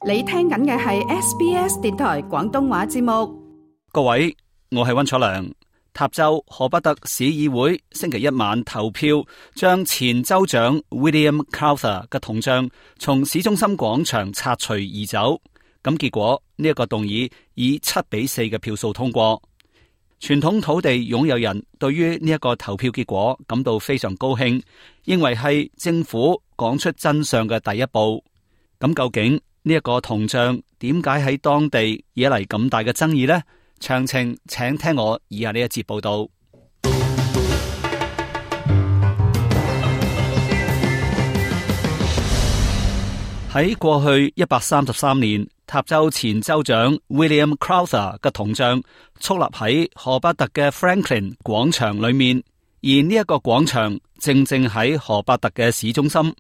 你聽緊嘅係 SBS 電台廣東話節目。各位，我係溫楚良。塔州荷巴特市議會星期一晚投票，將前州長 William Crowther 嘅銅像從市中心廣場拆除移走。咁結果呢一個動議以7-4嘅票數通過。傳統土地擁有人對於呢一個投票結果感到非常高興，認為係政府講出真相嘅第一步。咁究竟呢一個銅像點解喺當地惹嚟咁大嘅爭議呢？詳情請聽我以下呢一節報道。喺過去133年，塔州前州長 William Crowther 嘅銅像矗立喺荷巴特嘅 Franklin 廣場裏面，而呢一個廣場正正喺荷巴特嘅市中心。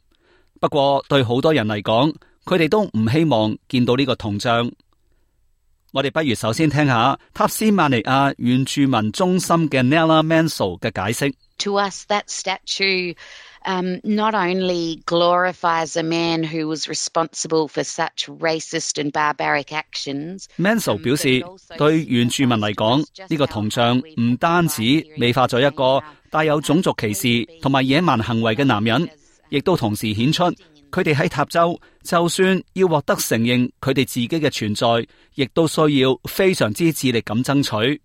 不過對好多人嚟講，佢哋都唔希望見到呢個銅像。我哋不如首先聽下塔斯馬尼亞原住民中心嘅 Nella Mansell 嘅解釋。To us, that statue not only glorifies a man who was responsible for such racist and barbaric actions. Mansell 表示，對原住民嚟講，呢個銅像唔單止美化咗一個帶有種族歧視同埋野蠻行為嘅男人，亦都同時顯出佢哋喺塔州，就算要獲得承認佢哋自己嘅存在，亦都需要非常之致力咁爭取。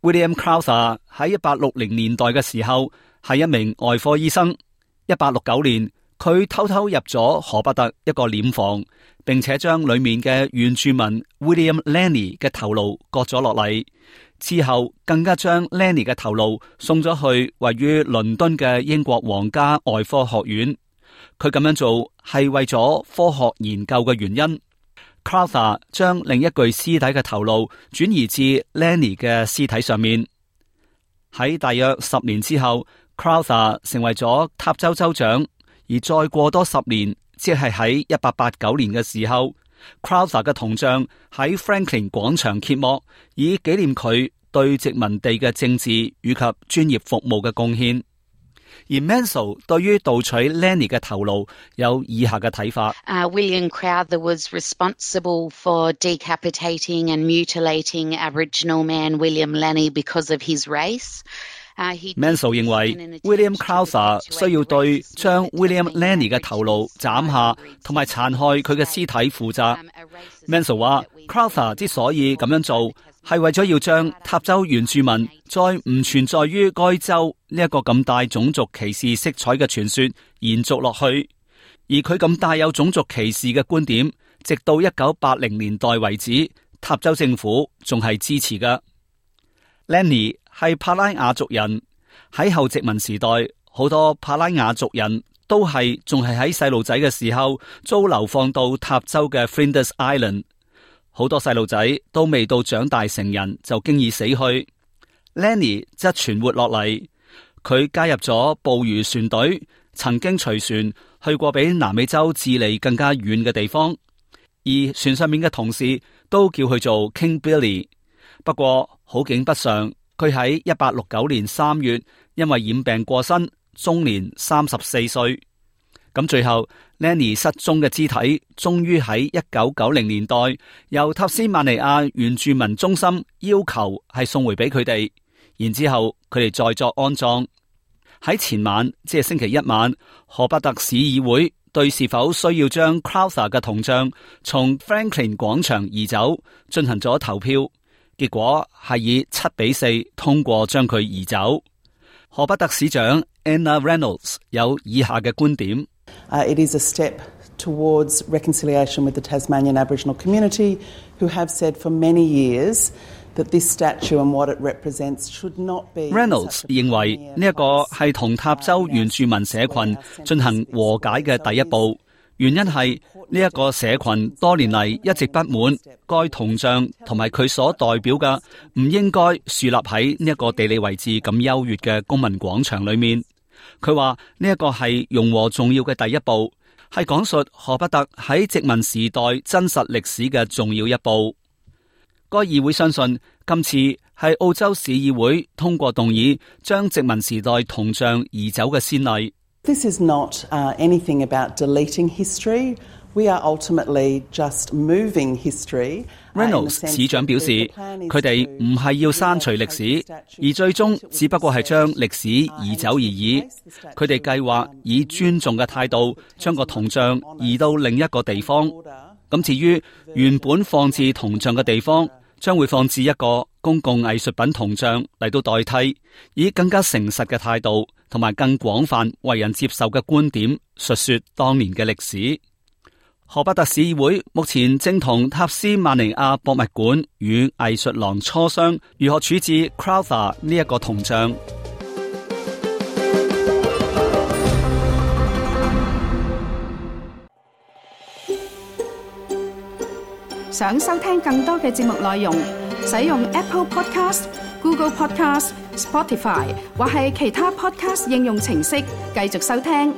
William Crowther 喺1860年代嘅時候係一名外科醫生。1869年，佢偷偷入咗荷巴特一個殮房，並且將裏面嘅原住民 William Lenny 嘅頭顱割咗落嚟。之後更加將 Lenny 嘅頭顱送咗去位於倫敦嘅英國皇家外科學院。佢咁樣做係為咗科學研究嘅原因。Crowther 將另一具屍體嘅頭顱轉移至 Lenny 嘅屍體上面。喺大約10年之後， Crowther 成為咗塔州州長，而再過多10年，即係喺1889年嘅時候， Crowther 嘅銅像喺 Franklin 廣場揭幕，以紀念佢對殖民地嘅政治以及專業服務嘅貢獻。而 Mansell 對於盜取 Lenny 嘅頭顱有以下嘅睇法。William Crowther was responsible for decapitating and mutilating Aboriginal man William Lenny because of his race. Mansell 認為 William Crowther 需要對將 William Lenny 嘅頭顱斬下同埋殘害佢嘅屍體負責。Mansell 話 Crowther 之所以咁樣做，係為咗要將塔州原住民再唔存在於該州呢一個咁大種族歧視色彩嘅傳說延續落去，而佢咁帶有種族歧視嘅觀點，直到1980年代為止，塔州政府仲係支持㗎。Lenny 係帕拉雅族人，喺後殖民時代，好多帕拉雅族人都仲係喺細路仔嘅時候遭流放到塔州嘅 Flinders Island。好多細路仔都未到長大成人就經已死去。Lenny 則存活落嚟，佢加入咗捕魚船隊，曾經隨船去過比南美洲智利更加遠嘅地方，而船上面嘅同事都叫佢做 King Billy。不過好景不常，佢喺1869年3月因為染病過身，終年34歲。咁最後 Lenny 失蹤嘅肢體終於喺1990年代由塔斯馬尼亞原住民中心要求係送回俾佢哋，然之後佢哋再作安葬。喺前晚，即係星期一晚，荷巴特市議會對是否需要將 Crowther 嘅銅像從 Franklin 廣場移走進行咗投票，結果係以7-4通過將佢移走。荷巴特市長 Anna Reynolds 有以下嘅觀點。It is a step towards reconciliation with the Tasmanian Aboriginal community, who have said for many years that this statue and what it represents should not be. Reynolds 認為呢一個係同塔州原住民社群進行和解嘅第一步，原因係呢一個社群多年嚟一直不滿該銅像同埋佢所代表嘅唔應該樹立喺呢一個地理位置咁優越嘅公民廣場裏面。佢話呢一個係融和重要嘅第一步，係講述荷巴特喺殖民時代真實歷史嘅重要一步。該議會相信今次係澳洲市議會通過動議將殖民時代銅像移走嘅先例。This is not anything about deleting history We are ultimately just moving history. Reynolds 市長表示，佢哋唔係要刪除歷史，而最終只不過係將歷史移走而已。佢哋計劃以尊重嘅態度，將個銅像移到另一個地方。咁至於原本放置銅像嘅地方，將會放置一個公共藝術品銅像嚟到代替，以更加誠實嘅態度同埋更廣泛為人接受嘅觀點，述說當年嘅歷史。荷伯特市議會目前正同塔斯曼尼亞博物館與藝術廊磋商如何處置 Crowther 呢一個銅像。想收聽更多嘅節目內容，使用 Apple Podcast、Google Podcast、Spotify 或係其他 Podcast 應用程式繼續收聽。